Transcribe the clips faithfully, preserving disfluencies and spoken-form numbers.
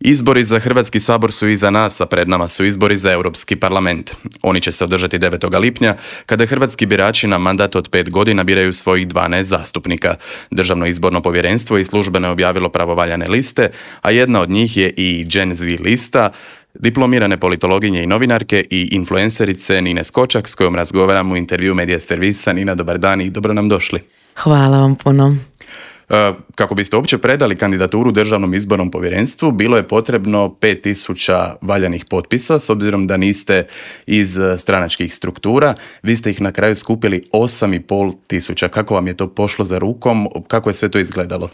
Izbori za Hrvatski sabor su iza nas, a pred nama su izbori za Europski parlament. Oni će se održati devetog lipnja, kada hrvatski birači na mandat od pet godina biraju svojih dvanaest zastupnika. Državno izborno povjerenstvo i službeno je objavilo pravovaljane liste, a jedna od njih je i Gen Z lista, diplomirane politologinje i novinarke i influencerice Nine Skočak, s kojom razgovaramo u intervju Medija servisa. Nina, dobar dan i dobro nam došli. Hvala vam puno. Kako biste uopće predali kandidaturu Državnom izbornom povjerenstvu, bilo je potrebno pet tisuća valjanih potpisa, s obzirom da niste iz stranačkih struktura. Vi ste ih na kraju skupili osam i pol tisuća. Kako vam je to pošlo za rukom? Kako je sve to izgledalo?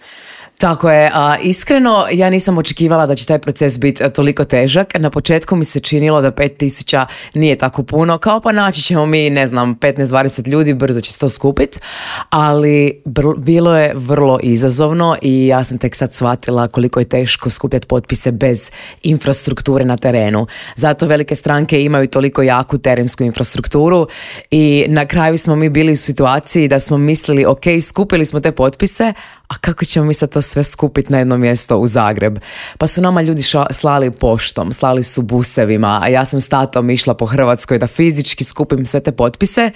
Tako je, a, iskreno ja nisam očekivala da će taj proces biti toliko težak. Na početku mi se činilo da pet tisuća nije tako puno, kao pa naći ćemo mi, ne znam, petnaest dvadeset ljudi, brzo će se to skupiti, ali br- bilo je vrlo izazovno i ja sam tek sad shvatila koliko je teško skupljati potpise bez infrastrukture na terenu. Zato velike stranke imaju toliko jaku terensku infrastrukturu i na kraju smo mi bili u situaciji da smo mislili, ok, skupili smo te potpise, a kako ćemo mi sad to sve skupiti na jedno mjesto u Zagreb? Pa su nama ljudi ša, slali poštom, slali su busevima, a ja sam s tatom išla po Hrvatskoj da fizički skupim sve te potpise.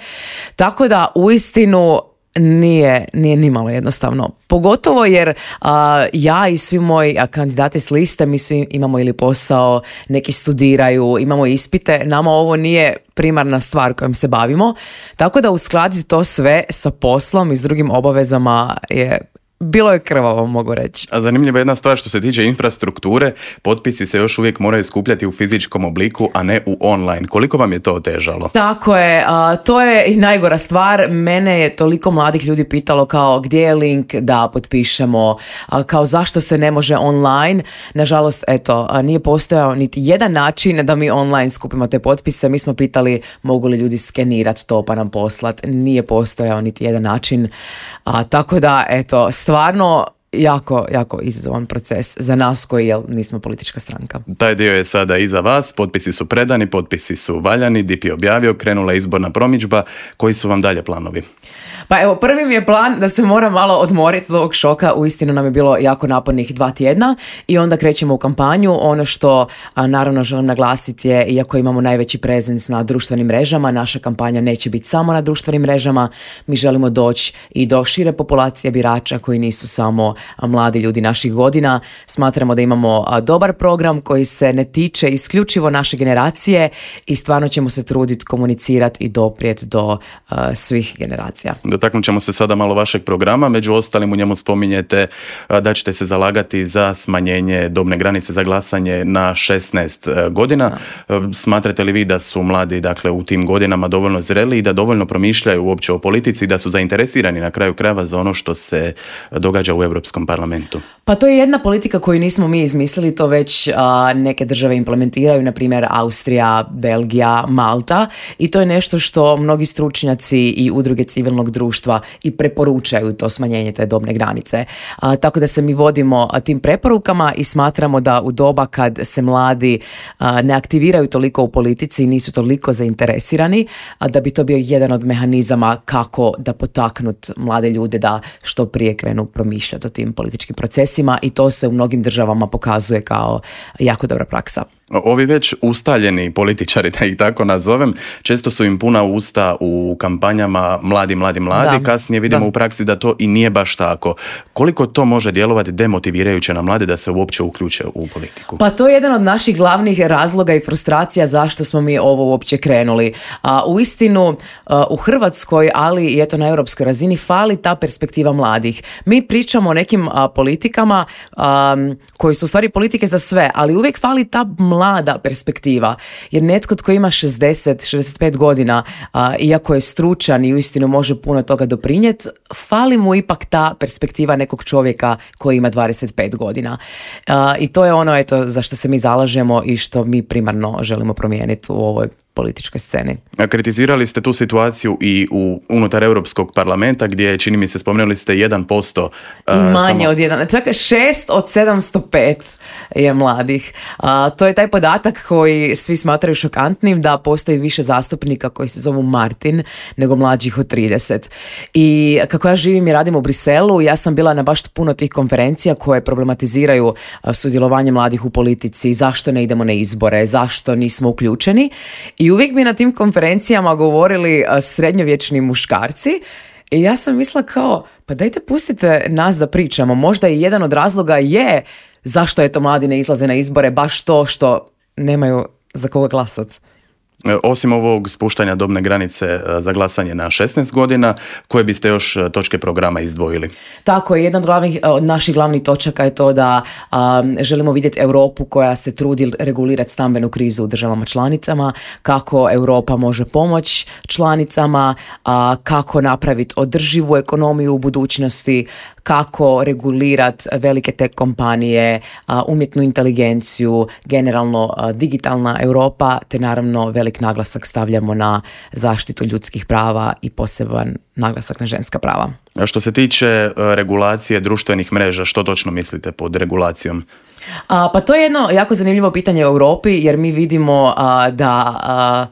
Tako da uistinu nije, nije nimalo jednostavno. Pogotovo jer a, ja i svi moji a, kandidati s liste, mi svi imamo ili posao, neki studiraju, imamo ispite, nama ovo nije primarna stvar kojom se bavimo. Tako da uskladiti to sve sa poslom i s drugim obavezama je... Bilo je krvavo, mogu reći. A zanimljiva je jedna stvar što se tiče infrastrukture, potpisi se još uvijek moraju skupljati u fizičkom obliku, a ne u online. Koliko vam je to otežalo? Tako je, a, to je i najgora stvar. Mene je toliko mladih ljudi pitalo kao gdje je link da potpišemo, a, kao zašto se ne može online. Nažalost, eto, a, nije postojao niti jedan način da mi online skupimo te potpise. Mi smo pitali mogu li ljudi skenirati to pa nam poslati. Nije postojao niti jedan način. A, tako da, eto, stvarno jako, jako izazovan proces za nas koji jel, nismo politička stranka. Taj dio je sada iza vas, potpisi su predani, potpisi su valjani, D I P je objavio, krenula je izborna promidžba. Koji su vam dalje planovi? Pa evo, prvi mi je plan da se moram malo odmoriti od ovog šoka. Uistinu nam je bilo jako napornih dva tjedna i onda krećemo u kampanju. Ono što a, naravno želim naglasiti je, iako imamo najveći prezens na društvenim mrežama, naša kampanja neće biti samo na društvenim mrežama. Mi želimo doći i do šire populacije birača koji nisu samo a, mladi ljudi naših godina. Smatramo da imamo a, dobar program koji se ne tiče isključivo naše generacije i stvarno ćemo se truditi komunicirati i doprijeti do a, svih generacija. Dotaknut ćemo se sada malo vašeg programa, među ostalim u njemu spominjete da ćete se zalagati za smanjenje dobne granice za glasanje na šesnaest godina. Da. Smatrate li vi da su mladi, dakle, u tim godinama dovoljno zreli i da dovoljno promišljaju uopće o politici, da su zainteresirani na kraju krajeva za ono što se događa u Europskom parlamentu? Pa to je jedna politika koju nismo mi izmislili, to već a, neke države implementiraju, na primjer Austrija, Belgija, Malta, i to je nešto što mnogi stručnjaci i udruge civilnog društva i preporučaju to smanjenje te dobne granice. A, tako da se mi vodimo a, tim preporukama i smatramo da u doba kad se mladi a, ne aktiviraju toliko u politici i nisu toliko zainteresirani, a, da bi to bio jedan od mehanizama kako da potaknut mlade ljude da što prije krenu promišljati o tim političkim procesima, i to se u mnogim državama pokazuje kao jako dobra praksa. Ovi već ustaljeni političari, da ih tako nazovem, često su im puna usta u kampanjama mladi, mladi, mladi. Da, kasnije vidimo da. u praksi da to i nije baš tako. Koliko to može djelovati demotivirajuće na mlade da se uopće uključe u politiku? Pa to je jedan od naših glavnih razloga i frustracija zašto smo mi ovo uopće krenuli. A, u istinu, a, u Hrvatskoj, ali i eto na europskoj razini, fali ta perspektiva mladih. Mi pričamo o nekim a, politikama a, koji su u stvari politike za sve, ali uvijek fali ta mlada perspektiva, jer netko tko ima šezdeset šezdeset pet godina, a, iako je stručan i uistinu može puno toga doprinijeti, fali mu ipak ta perspektiva nekog čovjeka koji ima dvadeset pet godina. A, I to je ono, eto, za što se mi zalažemo i što mi primarno želimo promijeniti u ovoj političkoj sceni. Kritizirali ste tu situaciju i u unutar Europskog parlamenta gdje, čini mi se, spomenuli ste jedan posto. I manje samo... od jedan. Čak šest od sedamsto pet je mladih. A, to je taj podatak koji svi smatraju šokantnim, da postoji više zastupnika koji se zovu Martin nego mlađih od trideset. I kako ja živim i radim u Briselu, ja sam bila na baš puno tih konferencija koje problematiziraju sudjelovanje mladih u politici, zašto ne idemo na izbore, zašto nismo uključeni. I uvijek bi na tim konferencijama govorili srednjovječni muškarci i ja sam mislila kao, pa dajte pustite nas da pričamo. Možda i jedan od razloga je zašto je to mladi ne izlaze na izbore, baš to što nemaju za koga glasati. Osim ovog spuštanja dobne granice za glasanje na šesnaest godina, koje biste još točke programa izdvojili? Tako je, jedna od, glavnih, od naših glavnih točaka je to da um, želimo vidjeti Europu koja se trudi regulirati stambenu krizu u državama članicama, kako Europa može pomoći članicama, uh, kako napraviti održivu ekonomiju u budućnosti, kako regulirati velike tech kompanije, uh, umjetnu inteligenciju, generalno uh, digitalna Europa, te naravno velik naglasak stavljamo na zaštitu ljudskih prava i poseban naglasak na ženska prava. A što se tiče regulacije društvenih mreža, što točno mislite pod regulacijom? A, pa to je jedno jako zanimljivo pitanje u Europi, jer mi vidimo a, da... A,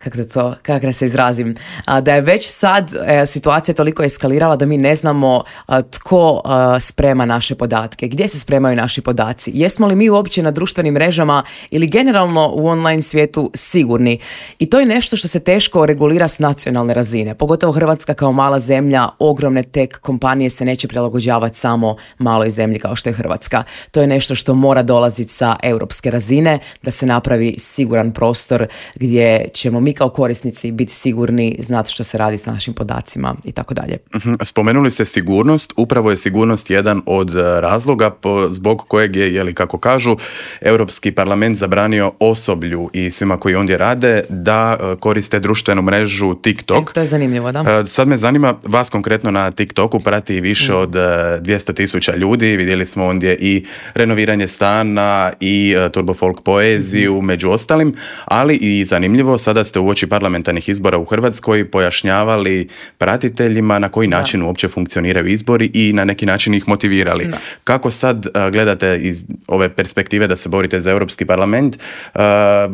kako da to, kako da se izrazim, a, da je već sad e, situacija toliko eskalirala da mi ne znamo a, tko a, sprema naše podatke, gdje se spremaju naši podaci, jesmo li mi uopće na društvenim mrežama ili generalno u online svijetu sigurni. I to je nešto što se teško regulira s nacionalne razine, pogotovo Hrvatska kao mala zemlja, ogromne tech kompanije se neće prilagođavati samo maloj zemlji kao što je Hrvatska. To je nešto što mora dolaziti sa europske razine, da se napravi siguran prostor gdje ćemo mi mi kao korisnici biti sigurni, znati što se radi s našim podacima i tako dalje. Spomenuli ste sigurnost, upravo je sigurnost jedan od razloga po, zbog kojeg je, jeli kako kažu, Europski parlament zabranio osoblju i svima koji ondje rade da koriste društvenu mrežu TikTok. E, to je zanimljivo, da. Sad me zanima, vas konkretno na TikToku prati više mm. od dvjesto tisuća ljudi, vidjeli smo ondje i renoviranje stana i turbo folk poeziju, mm. među ostalim, ali i zanimljivo, sada ste uoči parlamentarnih izbora u Hrvatskoj pojašnjavali pratiteljima na koji način da. uopće funkcioniraju izbori i na neki način ih motivirali. Da. Kako sad uh, gledate iz ove perspektive da se borite za Europski parlament, uh,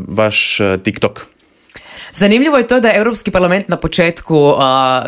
vaš uh, TikTok? Zanimljivo je to da Europski parlament na početku uh,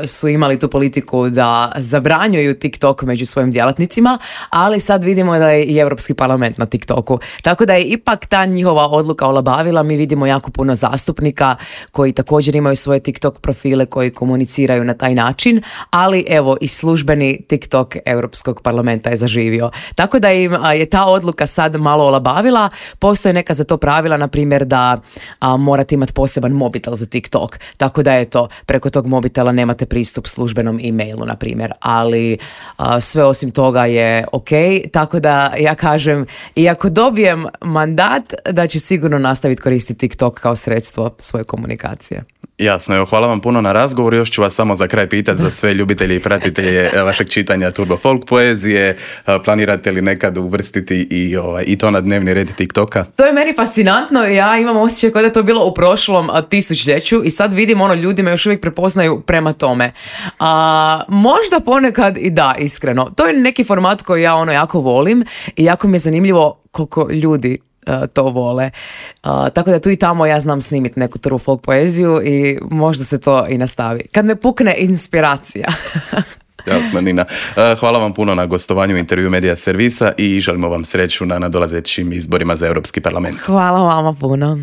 su imali tu politiku da zabranjuju TikTok među svojim djelatnicima, ali sad vidimo da je i Europski parlament na TikToku. Tako da je ipak ta njihova odluka olabavila. Mi vidimo jako puno zastupnika koji također imaju svoje TikTok profile koji komuniciraju na taj način, ali evo i službeni TikTok Europskog parlamenta je zaživio. Tako da im je ta odluka sad malo olabavila. Postoje neka za to pravila, na primjer da a, morate imati poseban mobitel za TikTok, tako da eto, preko tog mobitela nemate pristup službenom e-mailu, na primjer, ali a, sve osim toga je ok, tako da ja kažem, iako dobijem mandat, da ću sigurno nastaviti koristiti TikTok kao sredstvo svoje komunikacije. Jasno, evo, hvala vam puno na razgovor. Još ću vas samo za kraj pitati za sve ljubitelje i pratitelje vašeg čitanja turbo folk poezije. Planirate li nekad uvrstiti i, ovaj, i to na dnevni red TikToka? To je meni fascinantno. Ja imam osjećaj kao da je to bilo u prošlom tisućljeću i sad vidim ono, ljudi me još uvijek prepoznaju prema tome. A, možda ponekad i da, iskreno. To je neki format koji ja ono jako volim i jako mi je zanimljivo koliko ljudi to vole. Uh, tako da tu i tamo ja znam snimiti neku turbo folk poeziju i možda se to i nastavi. Kad me pukne inspiracija. Jasno, Nina. Uh, hvala vam puno na gostovanju u intervju Medija servisa i želimo vam sreću na nadolazećim izborima za Europski parlament. Hvala vama puno.